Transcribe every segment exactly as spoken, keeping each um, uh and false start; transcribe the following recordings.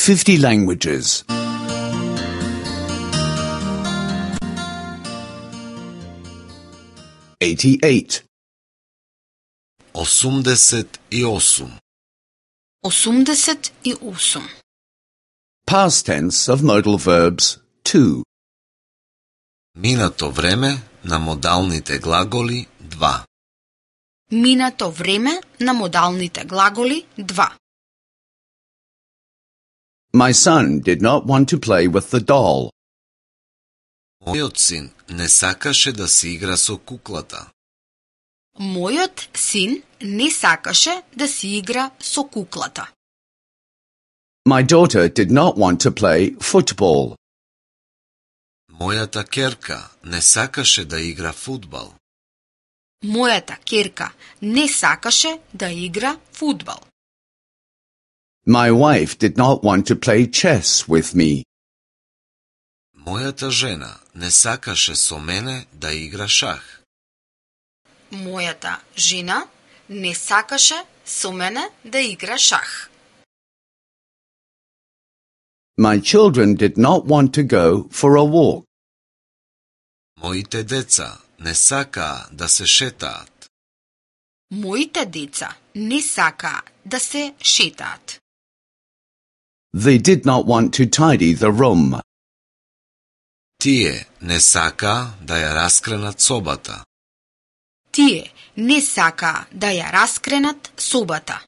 fifty languages. eighty-eight. осумдесет и осум. осумдесет и осум. Past tense of modal verbs two. Минато време на модалните глаголи два. Минато време на модалните глаголи два. My son did not want to play with the doll. Мојот син не сакаше да си игра со куклата. Мојот син не сакаше да си игра со куклата. My daughter did not want to play football. Мојата ќерка не сакаше да игра фудбал. Мојата ќерка не сакаше да игра фудбал. My wife did not want to play chess with me. Мојата жена не сакаше со мене да игра шах. Мојата жена не сакаше со мене да игра шах. My children did not want to go for a walk. Моите деца не сакаа да се шетаат. Моите деца не сакаа да се шетаат. They did not want to tidy the room. Тие не сакаа да ја раскренат собата. Тие не сакаа да ја раскренат собата.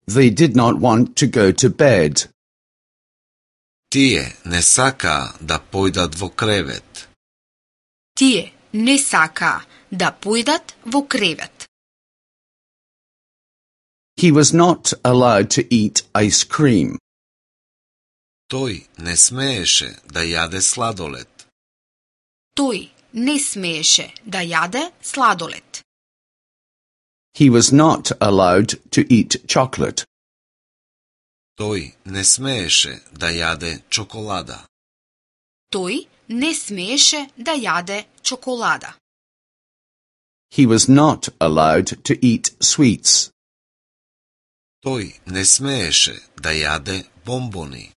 They did not want to go to bed. Тие не сакаа да појдат во кревет. Тие не сакаа да појдат во кревет. He was not allowed to eat ice cream. Тој не смееше да јаде сладолед. Тој не смееше да јаде сладолед. He was not allowed to eat chocolate. Тој не смееше да јаде чоколада. Тој не смееше да јаде чоколада. He was not allowed to eat sweets. Тој не смееше да јаде бомбони.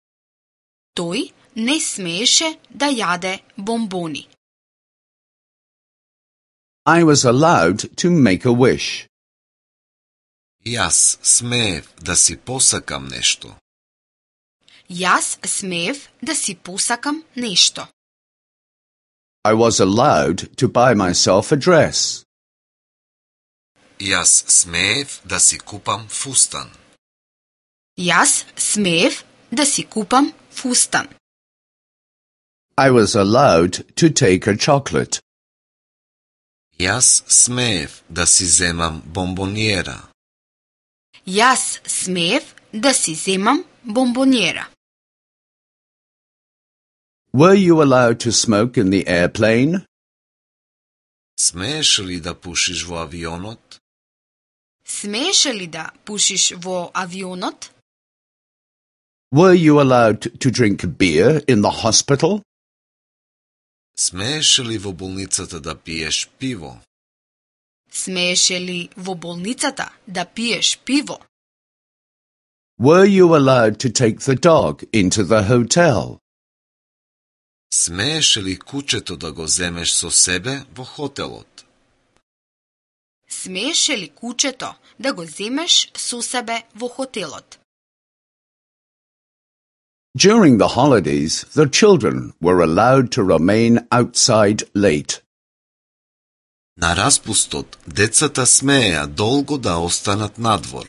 Тој не смееше да јаде бомбони. I was allowed to make a wish. Јас смеев да си посакам нешто. Јас смеев да си посакам нешто. I was allowed to buy myself a dress. Јас смеев да си купам фустан. Јас смеев да си купам фустан. I was allowed to take a chocolate. Јас смеев да си земам бомбониера. Јас смеев да си земам бомбониера. Were you allowed to smoke in the airplane? Смееш ли да пушиш во авионот? Смееше ли да пушиш во авионот? Were you allowed to drink beer in the hospital? Смееш ли во болницата да пиеш пиво? Смееше ли во болницата да пиеш пиво? Were you allowed to take the dog into the hotel? Смееш ли кучето да го земеш со себе во хотелот? Смееше ли кучето да го земеш со себе во хотелот? During the holidays, the children were allowed to remain outside late. На распустот, децата смееа долго да останат надвор.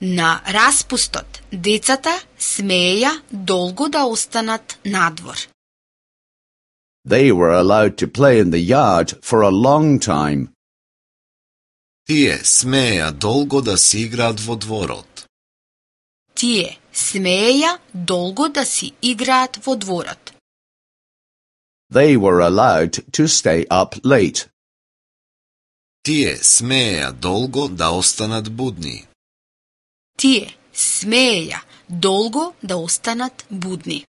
На распустот, децата смееја долго да останат надвор. They were allowed to play in the yard for a long time. Тие смееа долго да си играат во дворот. Тие смееја долго да си играат во дворот. They were allowed to stay up late. Тие смееа долго да останат будни. Тие смееја долго да останат будни.